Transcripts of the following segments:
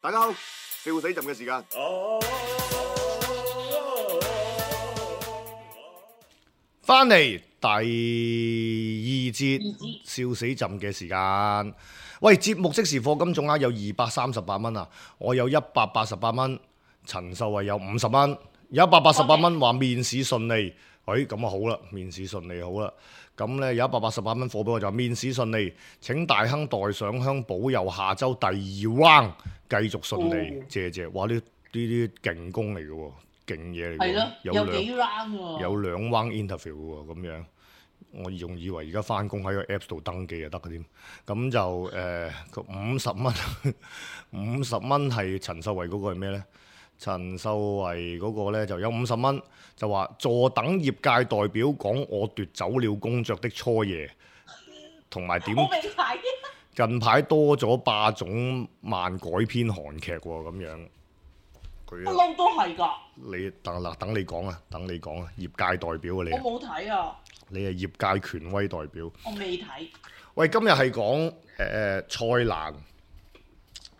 大家好，笑死朕嘅時間。翻嚟第二節笑死朕嘅時間。喂，節目即時課金總額有238蚊啊！我有188蚊，陳秀慧有50蚊，有188蚊話面試順利。咁啊好啦，面試順利好啦。咁咧有188蚊貨俾我就話面試順利，請大亨代上香保佑下週第2 round 繼續順利，謝謝。哇！呢啲勁功嚟嘅喎，勁嘢嚟嘅喎，有幾 round 喎，有2 round interview 嘅喎，咁樣。我仲以為而家翻工喺個 Apps 度登記就得嘅添，咁就50蚊，50蚊係陳秀慧嗰個係咩呢？陳秀慧嗰個呢就有50蚊，就話坐等業界代表講我奪走了工作的初夜，同埋點近排多咗霸總漫改編韓劇喎，咁樣佢不嬲都係㗎。你等你講啊，業界代表啊你。我冇睇啊。你係業界權威代表。我未睇。喂，今日係講蔡瀾，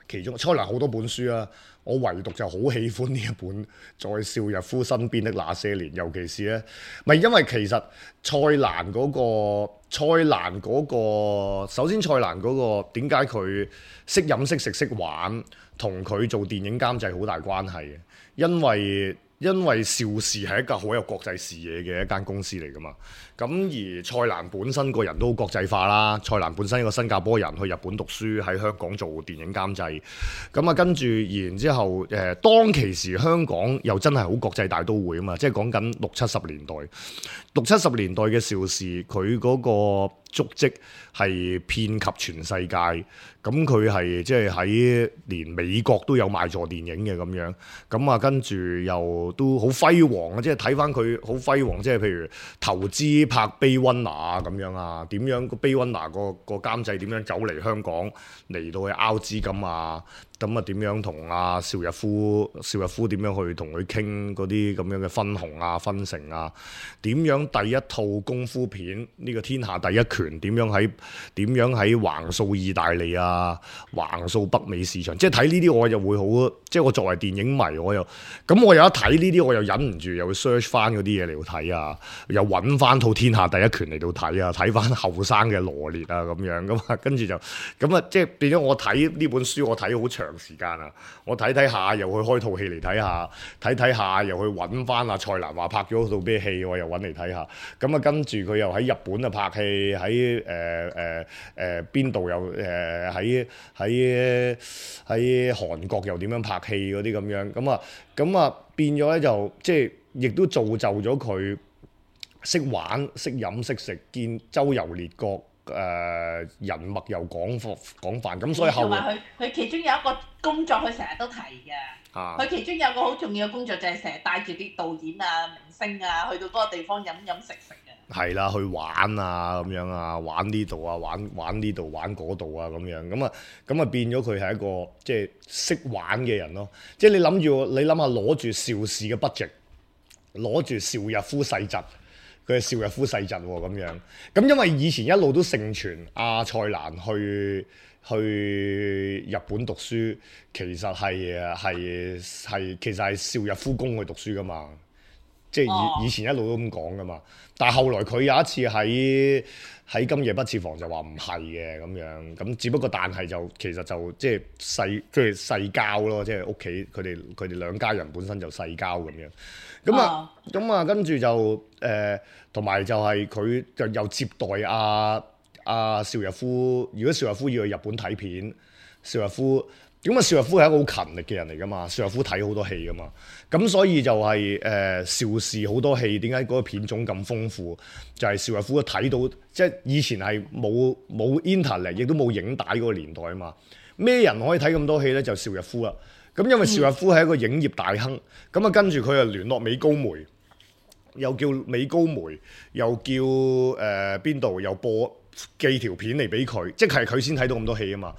其中蔡瀾好多本書啊，我唯獨就好喜歡呢一本《在邵逸夫身邊的那些年》，尤其是咧，咪因為其實蔡瀾嗰個，首先蔡瀾嗰個點解佢識飲識食識玩，同佢做電影監製好大關係嘅，因為邵氏係一個好有國際視野嘅一間公司嚟㗎嘛，咁而蔡瀾本身個人都好國際化啦，蔡瀾本身一個新加坡人去日本讀書，喺香港做電影監製，咁啊跟住然之後當其時香港又真係好國際大都會啊嘛，即係講緊60-70年代，60-70年代嘅邵氏佢嗰個足跡係遍及全世界，咁佢係即係喺連美國都有賣座電影嘅咁樣，咁啊跟住又都好輝煌啊！即係睇翻佢好輝煌，即係譬如投資拍《Blade Runner》咁樣啊，點樣個《Blade Runner》個監製點樣走嚟香港嚟到去拗資金啊？咁啊點樣同阿邵逸夫點樣去同佢傾嗰啲咁樣嘅分紅啊、分成啊？點樣第一套功夫片呢個天下第一拳點樣喺橫掃意大利啊、橫掃北美市場？即係睇呢啲我又會好，即係我作為電影迷我有一睇呢啲我又忍唔住又會 search 翻嗰啲嘢嚟到睇啊，又揾翻套天下第一拳嚟到睇啊，睇翻後生嘅羅烈啊咁樣咁啊，跟住就咁啊，即係變咗我睇呢本書我睇好長時間啊！我睇下又去開套戲嚟睇下，睇下又去揾翻阿蔡瀾話拍咗套咩戲，我又揾嚟睇下。咁啊，跟住佢又喺日本啊拍戲，喺邊度又喺韓國又點樣拍戲嗰啲咁樣。咁啊變咗咧就即係亦都造就咗佢識玩、識飲、識食，見周遊列國。人脈又廣泛，咁所以後來佢其中有一個工作，佢成日都提嘅。佢其中有個好重要嘅工作就係成日帶住啲導演啊、明星啊去到嗰個地方飲食嘅。係啦，去玩啊咁樣啊，玩呢度啊，玩呢度，玩嗰度啊咁樣，咁啊變咗佢係一個即係識玩嘅人咯。即係你諗下攞住邵氏嘅 budget， 攞住邵逸夫世侄。佢係邵逸夫世侄喎咁樣，咁因為以前一路都盛傳阿蔡瀾去日本讀書，其實係邵逸夫供佢讀書噶嘛，即係以前一路都咁講噶嘛。但係後來佢有一次喺今夜不設防就話唔係嘅咁樣，咁只不過但係就其實就即係世交咯，即係屋企佢哋兩家人本身就世交咁樣。咁啊，跟住就同埋就係佢就又接待阿邵逸夫。如果邵逸夫要去日本睇片，邵逸夫係一個好勤力嘅人嚟噶嘛。邵逸夫睇好多戲噶嘛，咁所以就係邵氏好多戲點解嗰個片種咁豐富？就係邵逸夫睇到，即係以前係冇 internet 亦都冇影帶嗰個年代啊嘛。咩人可以睇咁多戲咧？就邵逸夫啦。咁因為邵逸夫係一個影業大亨，咁啊跟住佢又聯絡美高梅，又叫美高梅，又叫邊度又寄條片嚟俾佢，即係佢先睇到咁多戲啊嘛。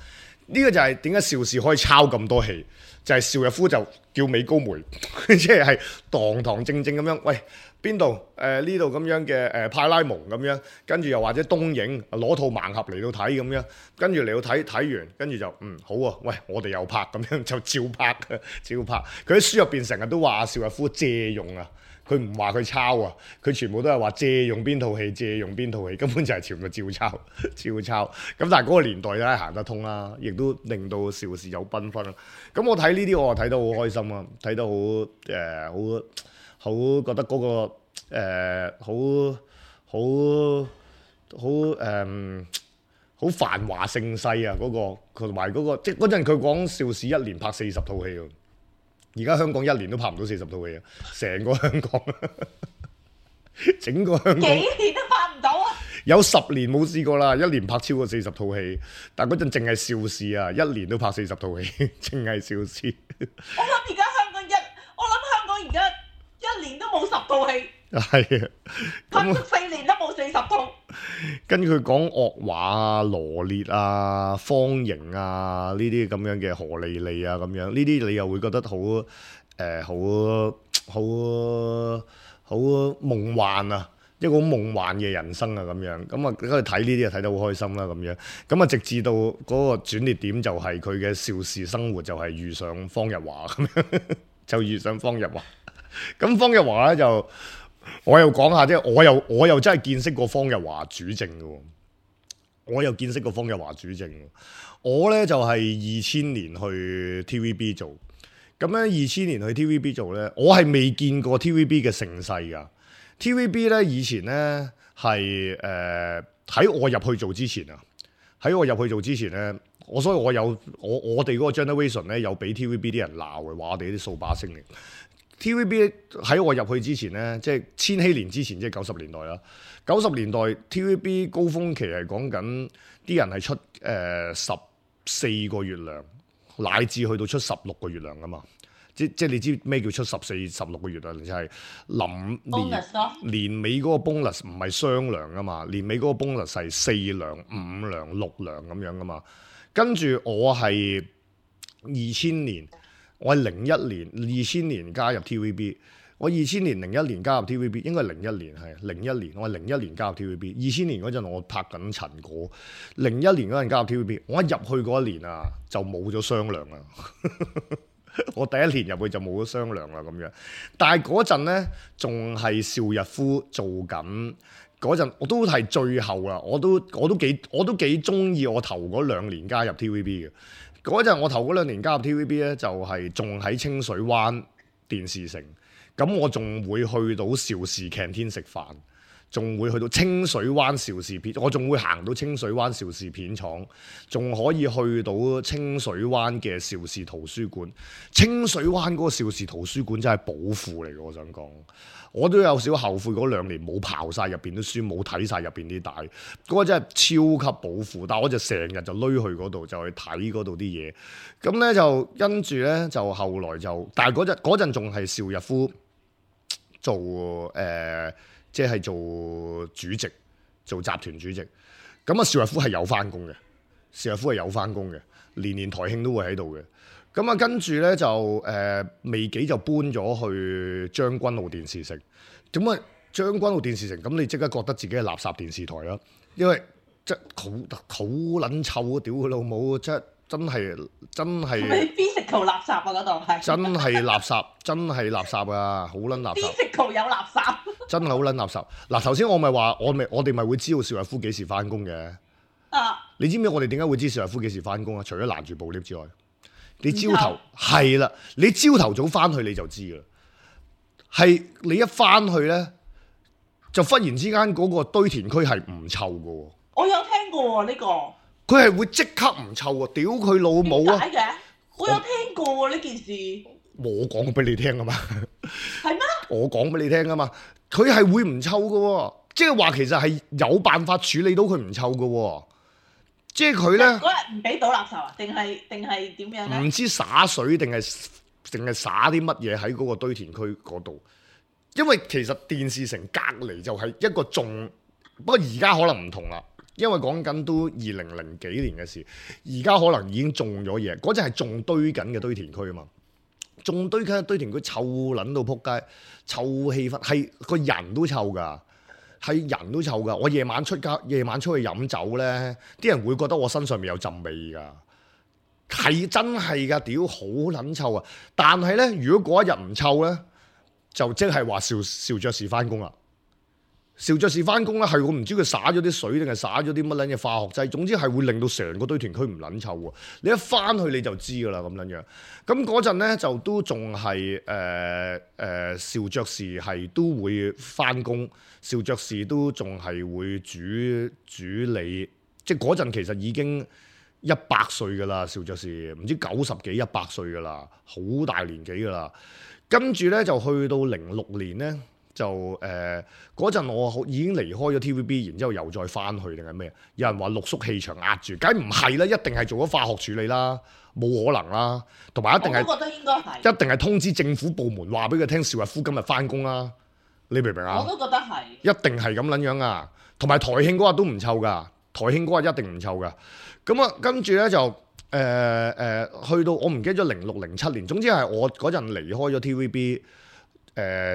呢個就係點解邵氏可以抄咁多戲，就係邵逸夫就叫美高梅，即係堂堂正正咁樣，喂，邊度呢度咁樣嘅派拉蒙咁樣，跟住又或者東映攞套盲盒嚟到睇咁樣，跟住嚟到睇完，跟住就好啊，喂我哋又拍咁樣就照拍嘅，照拍。佢喺書入邊成日都話邵逸夫借用啊。佢唔話佢抄啊，佢全部都係話借用邊套戲，借用邊套戲，根本就係全部照抄，照抄。咁但係嗰個年代咧行得通啦，亦都令到邵氏有繽紛啦。咁我睇呢啲我睇得好開心啊，睇得好覺得嗰個好繁華盛世啊！嗰個同埋嗰個即係嗰陣佢講邵氏一年拍40套戲喎。而家香港一年都拍唔到40套戲啊！成個香港，整個香港幾年都拍唔到啊！有10年冇試過啦，一年拍超過40套戲。但嗰陣淨係邵氏啊，一年都拍40套戲，淨係邵氏。我諗而家香港而家一年都冇10套戲。係啊，拍足4年都冇40套。跟住佢講樂華啊、羅烈啊、方盈啊呢啲咁樣嘅何莉莉啊咁樣，呢啲你又會覺得好夢幻啊，一個好夢幻嘅人生啊咁樣。咁啊，跟住睇呢啲就睇得好開心啦咁樣。咁啊，直至到嗰個轉捩點就係佢嘅邵氏生活就係遇上方日華咁樣，就遇上方日華。咁方日華咧就。我又講下啫，我又真係見識過方日華主政嘅，我又見識過方日華主政。我咧就係2000年去 TVB 做，咁咧2000年去 TVB 做咧，我係未見過 TVB 嘅盛世噶。TVB 咧以前咧係喺我入去做之前啊，喺我入去做之前咧，所以我哋嗰個 generation 咧有俾 TVB 啲人鬧嘅，話我哋啲掃把星嚟。TVB 喺我入去之前咧，即係千禧年之前，即係90年代啦。90年代 TVB 高峰期係講緊啲人係出14個月糧，乃至去到出16個月糧噶嘛。即係你知咩叫出14、16個月啊？就係臨年尾嗰個 bonus 唔係雙糧噶嘛，年尾嗰個 bonus 係4糧、5糧、6糧咁樣噶嘛。跟住我係2000年。我係01年、2000年加入 TVB。我2000年、01年加入 TVB， 應該係01年係01年。我係01年加入 TVB。2000年嗰陣我拍緊陳果，01年嗰陣加入 TVB。我一入去嗰一年啊，就冇咗雙糧啦。我第一年入去就冇咗雙糧啦咁樣。但係嗰陣咧，仲係邵逸夫做緊嗰陣，我都係最後啦。我都幾中意我頭嗰2年加入 TVB 嘅。嗰陣我頭嗰2年加入 TVB 咧，就係仲喺清水灣電視城，咁我仲會去到邵氏 canteen 食飯，仲會去到清水灣邵氏片，我仲會行到清水灣邵氏片廠，仲可以去到清水灣嘅邵氏圖書館。清水灣嗰個邵氏圖書館真係寶庫嚟嘅，我想講。我都有少後悔嗰2年冇刨晒入邊啲書，冇睇晒入邊啲帶，嗰個真係超級寶庫。但係我就成日就攣去嗰度，就去睇嗰度啲嘢。咁咧就跟住咧就後來就，但係嗰陣仲係邵逸夫做即係做主席，做集團主席。咁啊，邵逸夫係有翻工嘅，邵逸夫係有翻工嘅，年台慶都會喺度嘅。咁啊，跟住咧就未幾就搬咗去將軍澳電視城。咁啊，將軍澳電視城，咁你即刻覺得自己係垃圾電視台啦，因為即係好撚臭啊！屌佢老母，真係。係 physical 垃圾啊！嗰度係真係垃圾，真係垃圾啊！好撚垃圾。physical 有垃圾。真係好撚垃圾。嗱，頭先我咪話，我哋咪會知道邵逸夫幾時翻工嘅。啊！你知唔知我哋點解會知邵逸夫幾時翻工啊？除咗攔住部 lift 之外。你朝頭係啦，你朝頭早翻去你就知啦。係你一翻去咧，就忽然之間嗰個堆填區係唔臭嘅喎。我有聽過喎呢個。佢係會即刻唔臭喎！屌佢老母啊！點解嘅？我有聽過喎呢件事。我講俾你聽啊嘛。係咩？我講俾你聽啊嘛。佢係會唔臭嘅喎，即係話其實係有辦法處理到佢唔臭嘅喎。即係佢咧，嗰日唔俾倒垃圾啊？定係點樣咧？唔知灑水定係灑啲乜嘢喺嗰個堆填區嗰度？因為其實電視城隔離就係一個種，不過而家可能唔同啦。因為講緊都2000幾年嘅事，而家可能已經種咗嘢。嗰陣係種堆緊嘅堆填區啊嘛。仲堆緊一堆田區，臭撚到撲街，臭氣氛，係個人都臭㗎，係人都臭㗎。我夜晚出去飲酒咧，啲人會覺得我身上面有陣味㗎，係真係㗎，屌好撚臭啊！但係咧，如果嗰一日唔臭咧，就即係話邵爵士翻工啦。邵爵士翻工咧，係我唔知佢灑咗啲水定係灑咗啲乜撚嘢化學劑，總之係會令到成個堆填區唔撚臭喎。你一翻去你就知㗎啦，咁樣樣。咁嗰陣咧就都仲係邵爵士係都會翻工，邵爵士都仲係會主理，即係嗰陣其實已經100歲㗎啦，邵爵士唔知90幾100歲㗎啦，好大年紀㗎啦。跟住咧就去到06年咧。就嗰陣我已經離開咗 TVB，然之後又再翻去定係咩？有人話六叔氣場壓住，梗唔係啦，一定係做咗化學處理啦，冇可能啦。同埋一定係，我都覺得應該係，一定係通知政府部門話俾佢聽，邵逸夫今日翻工啦。你明唔明啊？我都覺得係，一定係咁撚樣啊！同埋台慶嗰日都唔臭㗎，台慶嗰日一定唔臭㗎。咁啊，跟住咧就去到我唔記得咗06、07年，總之係我嗰陣離開咗 TVB。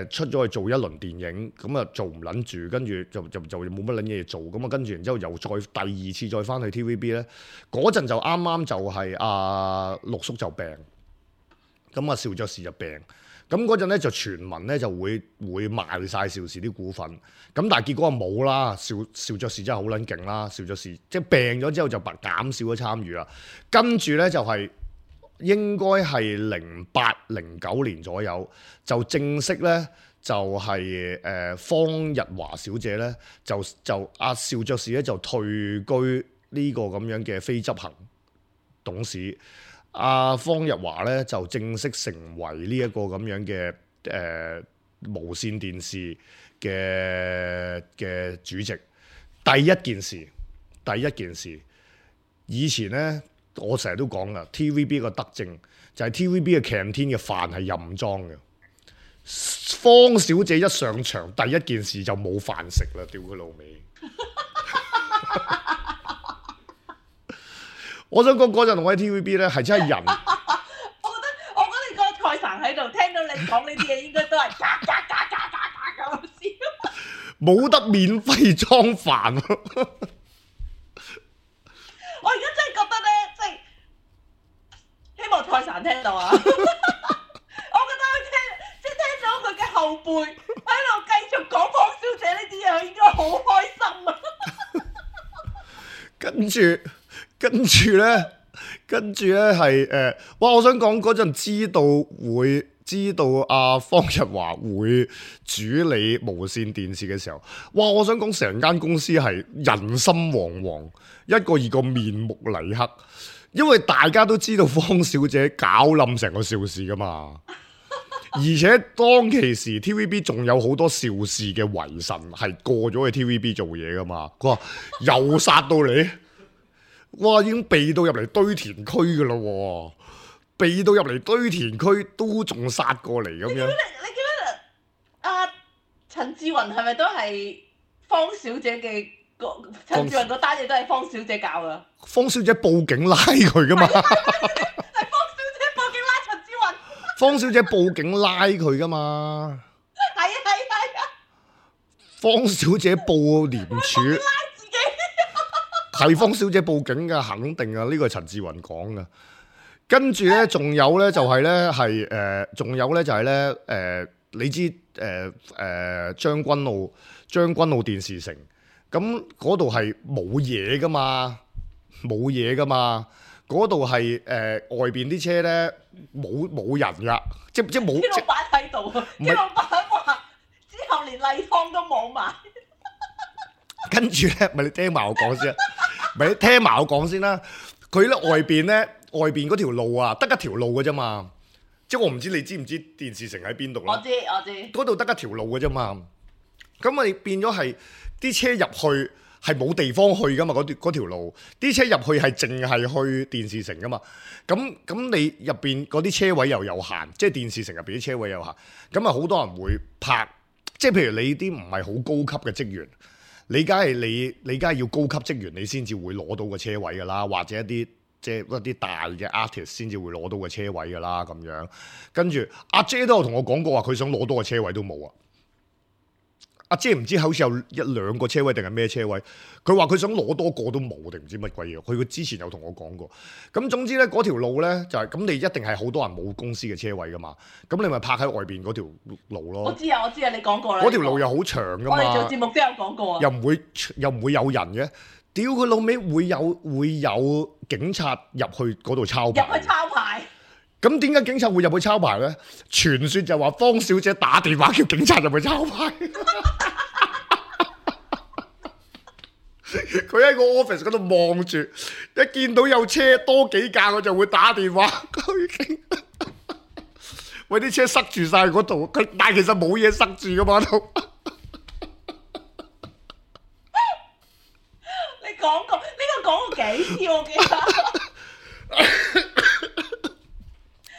出咗去做一輪電影，咁啊做唔撚住，跟住就冇乜撚嘢做，咁啊跟住然之後又再第二次再翻去 TVB 咧，嗰陣就啱啱就係陸叔就病，咁啊邵爵士就病，咁嗰陣咧就傳聞咧就會賣晒邵氏啲股份，咁但係結果啊冇啦，邵爵士真係好撚勁啦，邵爵士即係病咗之後就減少咗參與啦，跟住咧就係、應該係08、09年左右，就正式咧就係方日華小姐咧就邵爵士咧就退居呢個咁樣嘅非執行董事，方日華咧就正式成為呢一個咁樣嘅無線電視嘅主席。第一件事，以前咧。我成日都講噶 ，TVB 個德政就係 TVB 嘅 canteen 嘅飯係任裝嘅。方小姐一上場，第一件事就冇飯食啦，屌佢老味！我想講嗰陣我喺 TVB 咧係真係人。我覺得你個蔡神喺度聽到你講呢啲嘢，應該都係嘎咁笑。冇得免費裝飯。我而家真係覺得咧，即係希望蔡神聽到啊！我覺得聽咗佢嘅後輩喺度繼續講方小姐呢啲嘢，佢應該好開心啊！跟住咧係哇！我想講嗰陣知道方日華會主理無線電視嘅時候，哇！我想講成間公司係人心惶惶，一個面目泥黑，因為大家都知道方小姐搞冧成個邵氏噶嘛，而且當其時 TVB 仲有好多邵氏嘅遺臣係過咗去 TVB 做嘢噶嘛，佢話又殺到你，哇！已經避到入嚟堆填區噶啦喎。避到入嚟堆填區都仲殺過嚟咁樣。你記得陳志雲係咪都係方小姐嘅？陳志雲嗰單嘢都係方小姐搞噶。方小姐報警拉佢噶嘛？係方小姐報警拉陳志雲。方小姐報警拉佢噶嘛？係啊。方小姐報廉署。拉自己。係方小姐報警噶，肯定啊！呢個係陳志雲講噶。跟住咧，仲有咧就係咧仲有咧就係咧你知將軍澳電視城，咁嗰度係冇嘢噶嘛，嗰度係外邊啲車咧冇人噶，即冇。啲老闆喺度，啲老闆話之後連例湯都冇埋。跟住咧，咪你聽埋我講先啦，佢咧外邊嗰條路啊，得一條路嘅啫嘛，即係我唔知你知唔知電視城喺邊度啦？我知，嗰度得一條路嘅啫嘛，咁咪變咗係啲車入去係冇地方去噶嘛，嗰條路啲車入去係淨係去電視城噶嘛，咁你入邊嗰啲車位又有限，即係電視城入邊啲車位有限，咁啊好多人會泊，即係譬如你啲唔係好高級嘅職員。你梗係要高級職員，你先至會攞到個車位㗎啦，或者一啲即係一啲大嘅 artist 先至會攞到個車位㗎啦咁樣。跟住阿姐都有同我講過話，佢想攞多個車位都冇啊。阿姐唔知好似有1-2個車位定係咩車位，佢話佢想攞多個都冇定唔知乜鬼嘢。佢之前有同我講過。咁總之咧，嗰條路咧就係咁，你一定係好多人冇公司嘅車位噶嘛。咁你咪泊喺外邊嗰條路咯。我知啊，你講過啦。嗰條路又好長噶嘛。我哋做節目都有講過啊。又唔會有人嘅。屌佢老味，會有警察入去嗰度抄牌。入去抄牌。咁點解警察會入去抄牌咧？傳說就話方小姐打電話叫警察入去抄牌。佢喺個 office 嗰度望住，一見到有車多幾架，我就會打電話。喂，啲車塞住晒嗰度，但係其實冇嘢塞住噶嘛都。你講過呢個講過幾次我記得。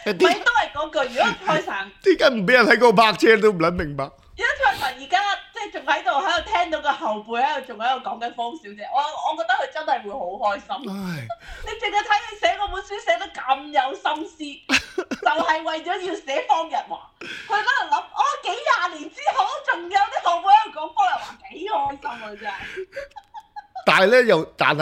咪都係嗰句，如果蔡神點解唔俾人喺嗰度泊車都唔撚明白？如果蔡神而家即係仲喺度聽到個後輩喺度仲喺度講緊方小姐，我覺得佢真係會好開心。你淨係睇佢寫嗰本書寫得咁有心思，就係為咗要寫方日華。佢喺度諗，幾廿年之後仲有啲後輩喺度講方日華，幾開心啊真係。但係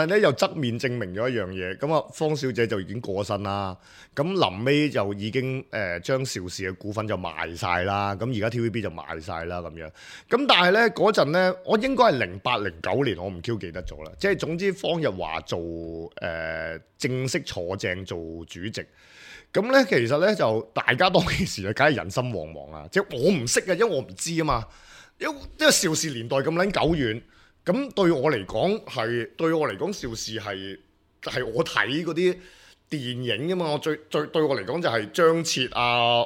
咧又側面證明咗一樣嘢，咁啊方小姐就已經過身啦，咁臨尾就已經將邵氏嘅股份就賣晒啦，咁而家 TVB 就賣晒啦咁樣，咁但係咧嗰陣咧，我應該係08-09年，我唔 Q 記得咗啦，即係總之方日華做正式坐正做主席，咁咧其實咧就大家當其時啊，梗係人心惶惶啊，即係我唔識啊，因為我唔知啊嘛，因為邵氏年代咁撚久遠。咁對我嚟講，邵氏係我睇嗰啲電影㗎嘛，我最對我嚟講就係張徹啊、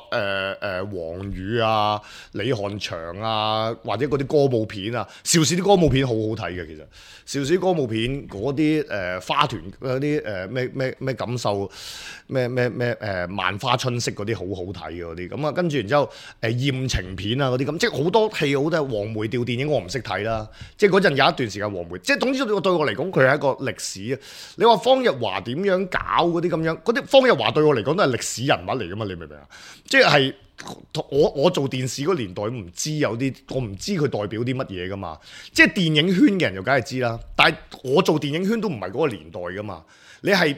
黃宇啊、李翰祥啊，或者嗰啲歌舞片啊，邵氏啲歌舞片好好睇嘅其實，邵氏啲歌舞片嗰啲花團嗰啲咩感受咩萬花春色嗰啲好好睇嘅嗰啲，咁啊跟住然之後艷情片啊嗰啲咁，即係好多戲好多黃梅調電影我唔識睇啦，即係嗰陣有一段時間黃梅，即係總之對我嚟講佢係一個歷史啊！你話方日華點樣搞嗰啲咁樣，嗰啲方日華對我嚟講都係歷史人物嚟噶嘛？你明唔明啊？即係我做電視嗰年代唔知有啲，我唔知佢代表啲乜嘢噶嘛。即係電影圈嘅人就梗係知啦，但係我做電影圈都唔係嗰個年代噶嘛。你係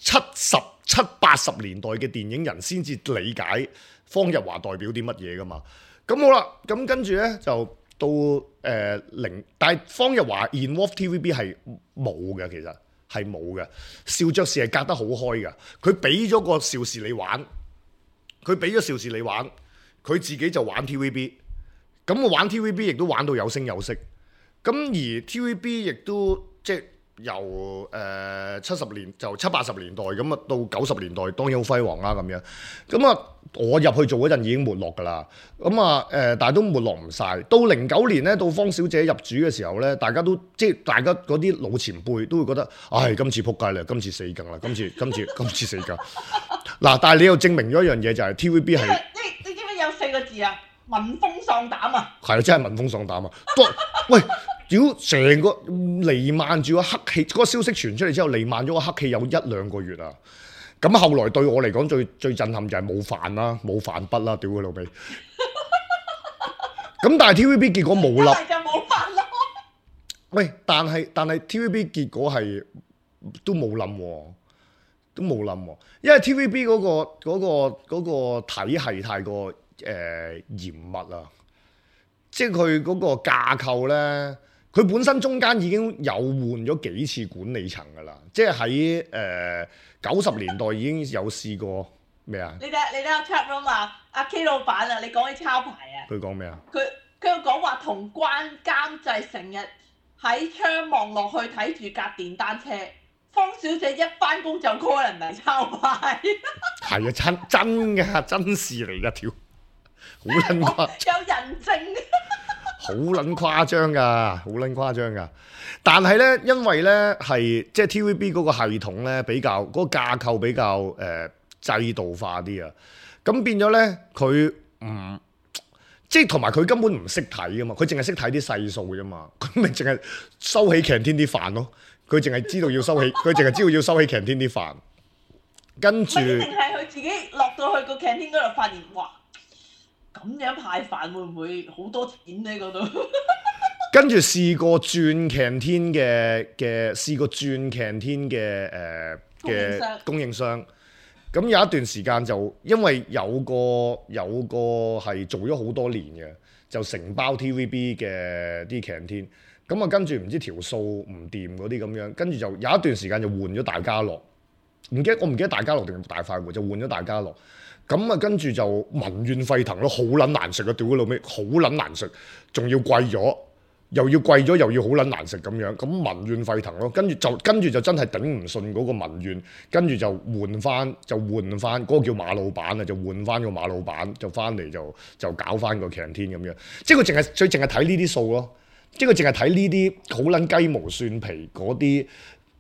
70-80年代嘅電影人先至理解方日華代表啲乜嘢噶嘛。咁好啦，咁跟住咧就到但係方日華 involve TVB 係冇嘅，其實。係冇嘅，邵爵士係隔得好開嘅。佢俾咗個邵氏你玩，佢自己就玩 TVB。咁我玩 TVB 亦都玩到有聲有色。咁而 TVB 亦都即係由70年就70-80年代咁啊，到90年代當然好輝煌啦咁樣。咁啊，我入去做嗰陣已經沒落㗎啦。咁啊但係都沒落唔晒。到09年咧，到方小姐入主嘅時候咧，大家都即係大家嗰啲老前輩都會覺得，唉，今次撲街啦，今次死梗啦，今次死梗。嗱，但係你又證明咗一樣嘢，就係 TVB 係你知唔知有4個字啊？聞風喪膽啊！係啊，真係聞風喪膽啊！喂，屌成個彌漫住個黑氣，嗰個消息傳出嚟之後，彌漫咗個黑氣有1-2個月啊！咁後來對我嚟講最震撼就係冇飯啦，冇飯筆啦，屌佢老味！咁但係 TVB 結果冇粒，就冇飯咯。喂，但係 TVB 結果係都冇冧喎，都冇冧喎，因為 TVB 嗰個體系太過嚴密啦，即係佢嗰個架構咧，佢本身中間已經有換咗幾次管理層噶啦，即係喺90年代已經有試過咩啊？你睇下 chat room 啊，阿 K 老闆啊，你講起抄牌啊？佢講咩啊？佢講話同關監製成日喺窗望落去睇住架電單車，方小姐一返工就 call 人嚟抄牌。係啊，真㗎，真事嚟㗎，條好撚誇，有人證。好撚誇張㗎，好撚誇張㗎。但係咧，因為咧係即係 TVB 嗰個系統咧比較嗰個架構比較制度化啲啊，咁變咗咧佢唔即係同埋佢根本唔識睇㗎嘛，佢淨係識睇啲細數啫嘛，佢咪淨係收起 canteen 啲飯咯。佢淨係知道要收起，佢淨係知道要收起 canteen 啲飯，跟住唔係一定係佢自己落到去個 canteen 嗰度發現，哇！咁樣派飯會唔會好多錢咧？嗰度跟住試過轉 canteen 嘅供應商。咁有一段時間就因為有個係做咗好多年嘅，就承包 TVB 嘅啲 canteen。咁啊跟住唔知條數唔掂嗰啲咁樣，跟住就有一段時間就換咗大家樂。我唔記得大家樂定大快活，就換咗大家樂。咁啊跟住就民怨沸騰咯，好撚難食啊！屌佢老味，好撚難食，仲要貴咗。又要貴咗，又要好撚難食咁樣，咁民怨沸騰咯。跟住就真係頂唔順嗰個民怨，跟住就換翻嗰個叫馬老闆啊，就換翻個馬老闆，就翻嚟就搞翻個 canteen 咁樣。即係佢淨係睇呢啲數咯，即係佢淨係睇呢啲好撚雞毛蒜皮嗰啲，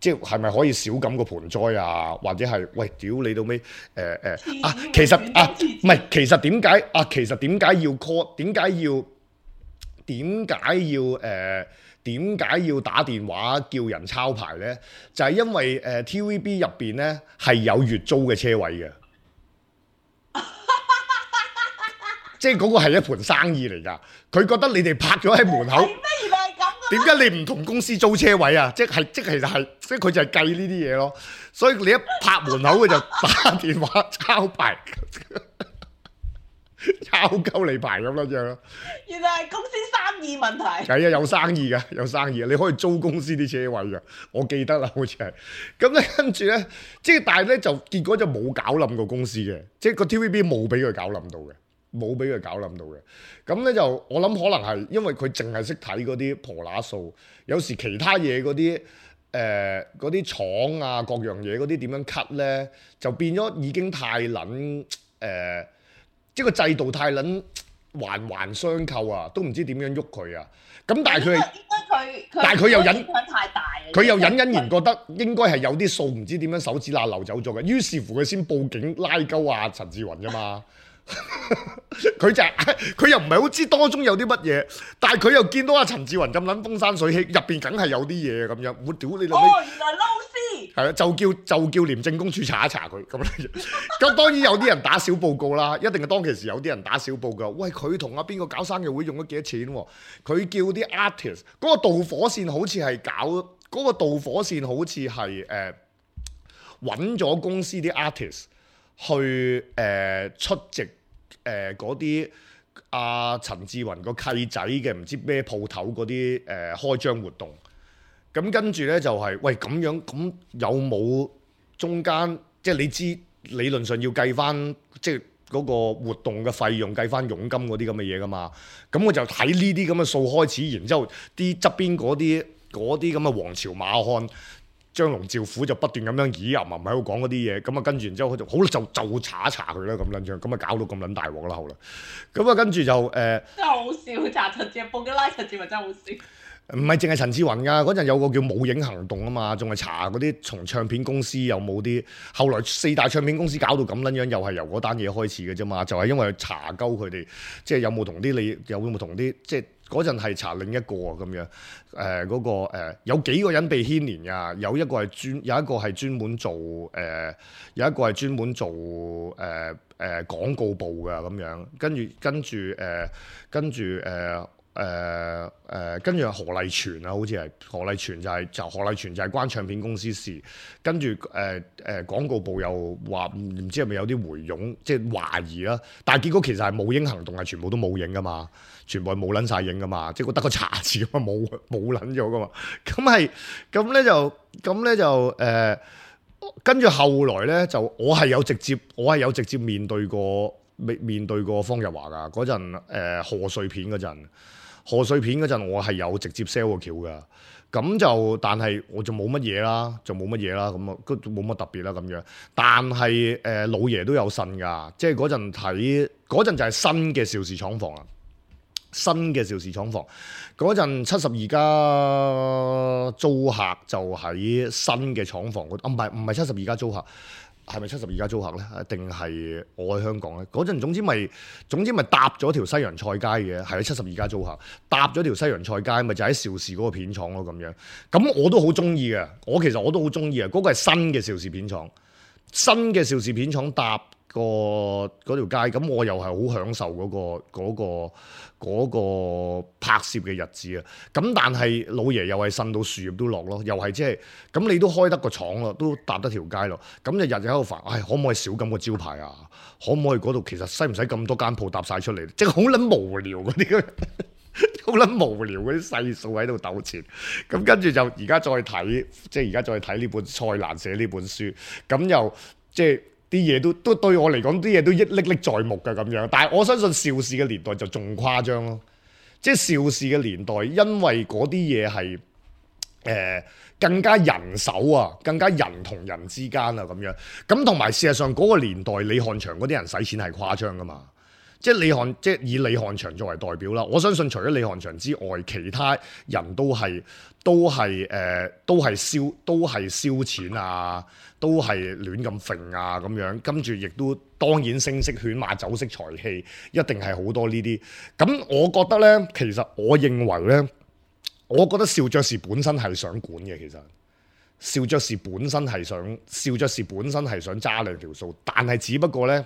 即係咪可以少咁個盆栽啊？或者係喂屌你到尾其實點解要 call？點解要打電話叫人抄牌呢？就係因為TVB 入邊呢係有月租嘅車位嘅，即係嗰個係一盤生意嚟㗎。佢覺得你哋拍咗喺門口，點解你唔同公司租車位啊？即係其實係，即係佢就係計呢啲嘢咯。所以你一拍門口，佢就打電話抄牌。抄鳩你牌咁樣咯，原來係公司生意問題。係啊，有生意㗎，有生意，你可以租公司啲車位㗎。我記得啦，好似係。咁咧跟住咧，即係但係咧就結果就冇搞冧個公司嘅，即係個 TVB 冇俾佢搞冧到嘅，冇俾佢搞冧到嘅。咁咧就我諗可能係因為佢淨係識睇嗰啲婆乸數，有時其他嘢嗰啲廠啊各樣嘢嗰啲點樣 cut 咧，就變咗已經太撚即係個制度太撚環相扣啊，都唔知點樣喐佢啊！咁但係佢又隱太大，佢又隱然覺得應該係有啲數唔知點樣手指罅漏走咗嘅，於是乎佢先報警拉鳩啊陳志雲啫嘛。佢又唔係好知當中有啲乜嘢，但係佢又見到阿陳志雲咁撚風生水起，入邊梗係有啲嘢咁樣。我屌你老味！哦，原來撈絲係啊，就叫廉政公署查一查佢咁樣。咁當然有啲人打小報告啦，一定係當其時有啲人打小報告。喂，佢同阿邊個搞生日會用咗幾多錢喎？佢叫啲 artist 嗰個導火線好似係揾咗公司啲 artist 去出席嗰啲阿陳志雲個契仔嘅唔知咩鋪頭嗰啲開張活動。咁跟住咧就係、喂咁樣，咁有冇中間即係你知理論上要計翻即係嗰個活動嘅費用，計翻佣金嗰啲咁嘅嘢噶嘛？咁我就睇呢啲咁嘅數開始，然之後啲側邊嗰啲咁嘅王朝馬漢張龍趙虎就不斷咁樣咦啊喺度講嗰啲嘢，咁啊跟住然之後佢就好就查一查佢啦咁撚樣，咁啊搞到咁撚大鑊啦後來，咁啊跟住就真係好笑，查陳志雲報嘅拉陳志雲真係好笑。唔係淨係陳志雲㗎，嗰陣有個叫冇影行動啊嘛，仲係查嗰啲從唱片公司有冇啲，後來四大唱片公司搞到咁撚樣，又係由嗰單嘢開始嘅啫嘛，就係因為查鳩佢哋，即係有冇同啲即係嗰陣係查另一個咁樣，有幾個人被牽連㗎，有一個係專門做廣告部㗎咁樣，跟住何麗全啊，好似係何麗全就係關唱片公司事，跟住廣告部又話唔知係咪有啲回佣，即係懷疑啦。但係結果其實係冇影行動，係全部都冇影噶嘛，全部係冇撚晒影噶嘛，即係得個查字啊嘛，冇撚咗噶嘛。咁咧就跟住後來咧就我係有直接面對過方日華噶嗰陣賀歲片嗰陣。賀歲片嗰陣我係有直接 sell 個橋㗎，咁就但係我就冇乜嘢啦，咁啊都冇乜特別啦咁樣。但係老爺都有呻㗎，即係嗰陣就係新嘅邵氏廠房啊，新嘅邵氏廠房嗰陣72家租客就喺新嘅廠房嗰度，唔係72家租客。係咪72家租客咧？定係我喺香港咧？嗰陣總之咪搭咗條西洋菜街嘅，係72家租客搭咗條西洋菜街，咪就喺邵氏嗰個片廠咯咁樣。咁我都好中意嘅，其實我都好中意啊！嗰個係新嘅邵氏片廠，新嘅邵氏片廠搭嗰條街，咁我又係好享受嗰個拍攝嘅日子啊！咁但係老爺又係呻到樹葉都落咯，又係即係咁你都開得個廠咯，都搭得條街咯，咁就日日喺度煩，可唔可以少咁個招牌啊？可唔可以嗰度其實使唔使咁多間鋪搭晒出嚟？即係好撚無聊嗰啲，好撚無聊嗰啲細數喺度糾纏。咁跟住就而家再睇，即係而家再睇呢本蔡瀾寫呢本書，咁又即係。啲嘢都對我嚟講，啲嘢都歷歷在目嘅咁樣。但係我相信邵氏嘅年代就仲誇張咯，即係邵氏嘅年代，因為嗰啲嘢係更加人手啊，更加人同人之間啊咁樣。咁同埋事實上嗰個年代，李翰祥嗰啲人使錢係誇張噶嘛。即係以李翰祥作為代表啦，我相信除咗李翰祥之外，其他人都係燒錢啊，都係亂咁揈啊咁樣，跟住亦都當然聲色犬馬酒色財氣，一定係好多呢啲。咁我覺得呢，其實我認為呢，我覺得邵爵士本身係想管嘅，其實邵爵士本身係想揸兩條數，但係只不過呢，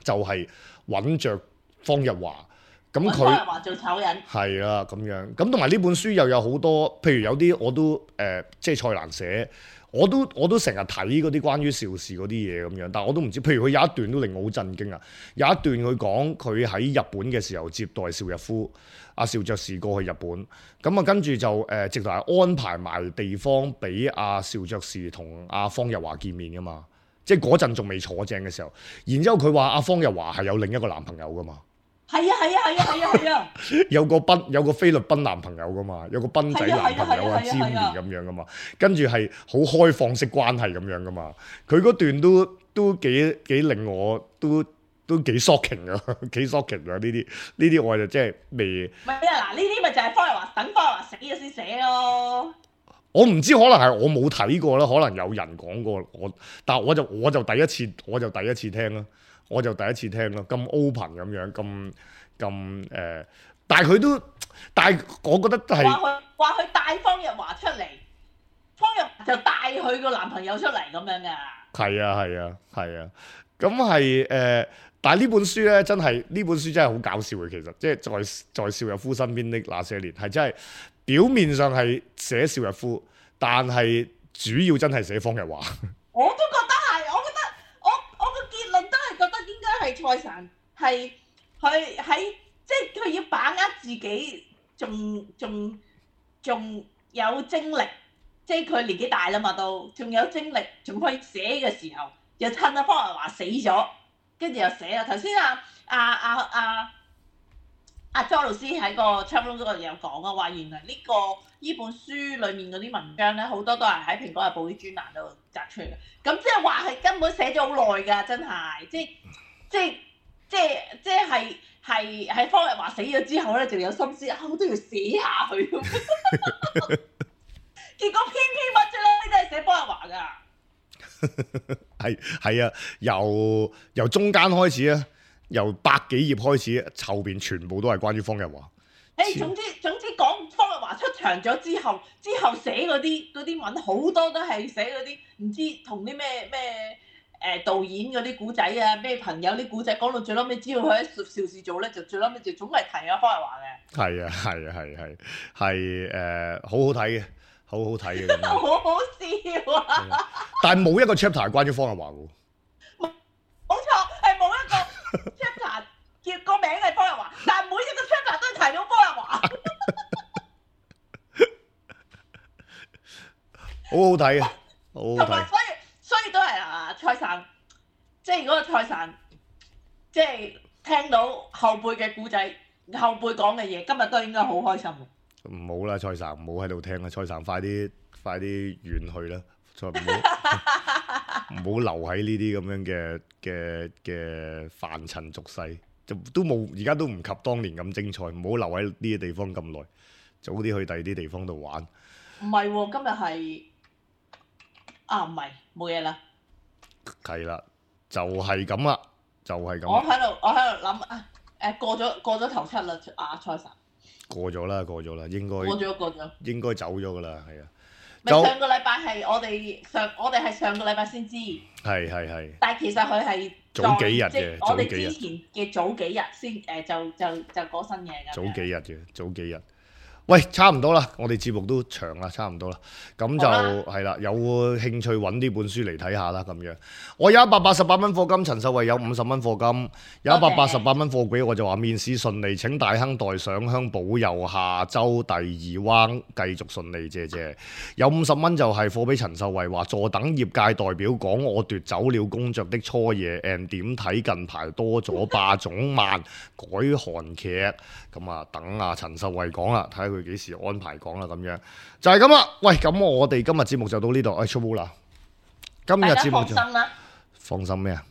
就係揾着方日華，咁佢方日華做醜人係啦咁樣，咁同埋呢本書又有好多，譬如有啲我都即係蔡瀾寫，我都成日睇嗰啲關於邵氏嗰啲嘢咁樣，但係我都唔知，譬如佢有一段都令我好震驚啊！有一段佢講佢喺日本嘅時候接待邵逸夫，阿邵爵士過去日本，咁啊跟住就直頭係安排埋地方俾阿邵爵士同阿方日華見面噶嘛。即係嗰陣仲未坐正嘅時候，然之後佢話阿方日華係有另一個男朋友噶嘛？係啊！有個菲律賓男朋友噶嘛？有個賓仔男朋友啊，詹連咁樣噶嘛？跟住係好開放式關係咁樣噶嘛？佢嗰段都幾令我都幾 shocking 啊，幾 shocking 啊！呢啲我就即係未。唔係啊！嗱，呢啲咪就係方日華等方日華死咗先寫咯。我唔知，可能係我冇睇過啦，可能有人講過但係我就第一次聽啦，咁 open 咁樣，咁但係我覺得係話佢帶方日華出嚟，方日華就帶佢個男朋友出嚟咁樣㗎。係啊，咁係但係呢本書咧真係好搞笑嘅，其實即係在邵逸夫身邊的那些年係真係。表面上係寫邵逸夫，但係主要真係寫方日華。我都覺得係，我個結論都係覺得應該係蔡瀾係佢喺即係佢要把握自己仲有精力，即係佢年紀大啦嘛，都仲有精力，仲可以寫嘅時候，又趁阿方日華死咗，跟住又寫啦。頭先阿莊老師喺個 chapter 嗰度有講啊，話原來呢本書裡面嗰啲文章咧，好多都係喺《蘋果日報》啲專欄度摘出嚟嘅。咁即係話係根本寫咗好耐㗎，真係，即係喺方日華死咗之後咧，就有心思我都要寫下佢。結果偏乜啫啦，呢啲係寫方日華㗎。係啊，由中間開始啊。由百幾頁開始，後邊全部都係關於方日華。總之講方日華出場咗之後寫嗰啲文好多都係寫嗰啲唔知同啲咩導演嗰啲古仔啊，咩朋友啲古仔，講到最撈尾，只要佢喺邵氏做咧，就最撈尾就總係提阿方日華嘅。係好好睇嘅，好好睇嘅。好好笑啊！但係冇一個 chapter 係關於方日華嘅。冇錯，係冇一個 chapter 叫個名係方日華，但係每一個 chapter 都係提到方日華。好好睇嘅，好好睇。同埋所以都係蔡瀾，即係如果蔡瀾，即係聽到後輩嘅故仔，後輩講嘅嘢，今日都應該好開心。唔好啦，蔡瀾唔好喺度聽啦，蔡瀾快啲遠去啦，再唔好留喺呢啲咁樣嘅凡塵俗世，就都冇，而家都唔及當年咁精彩，唔好留喺呢啲地方咁耐，早啲去第二啲地方度玩。唔係喎，今日係唔係冇嘢啦。係啦，就係咁啦，就係咁。我喺度諗啊，過咗頭七啦，蔡神過咗啦，應該過咗。應該走咗噶啦，係啊。咪上個禮拜係我哋係上個禮拜先知，係。但係其實佢係早幾日嘅即係我哋之前嘅早幾日先就講新嘢㗎。早幾日。喂，差唔多啦，我哋節目都長啦，差唔多啦，咁就係啦，有興趣揾呢本書嚟睇下啦，咁樣。我有188蚊課金，陳秀慧有50蚊課金，有188蚊貨櫃，我就話面試順利，請大亨代上香保佑下週第2彎繼續順利，謝謝。有50蚊就係貨俾陳秀慧，話坐等業界代表講我奪走了公爵的初夜 and 點睇近排多咗霸總漫改韓劇，咁啊等啊陳秀慧講啦，睇下佢幾時安排講啦，咁樣就係咁啦。喂，咁我哋今日節目就到呢度，出啦。今日節目就放心啦。放心咩啊？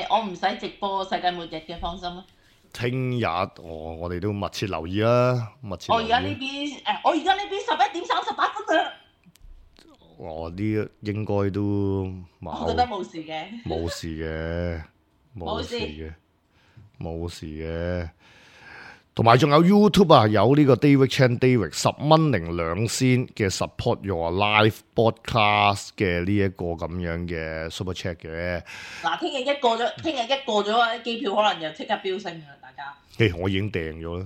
我唔使直播世界末日嘅，放心啦。聽日我哋都密切留意啦，我而家呢邊11點38分啦。我啲應該都我覺得冇事嘅。冇事嘅。同埋仲有 YouTube 啊，有呢個 David Chan David 10蚊零2仙嘅 Support Your Live Podcast 嘅呢一個咁樣嘅 Super Chat 嘅。嗱，聽日一過咗，機票可能又即刻飆升㗎，大家。我已經訂咗啦。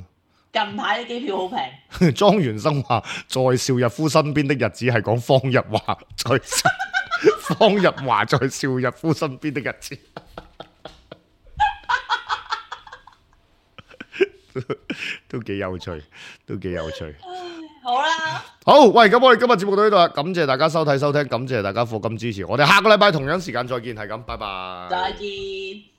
近排啲機票好平。莊元生話，在邵逸夫身邊的日子係講方日華在邵逸夫身邊的日子。都幾有趣。好啦，好，喂，咁我哋今日節目到呢度啦，感謝大家收睇收聽，感謝大家課金支持，我哋下個禮拜同樣時間再見，係咁，拜拜。再見。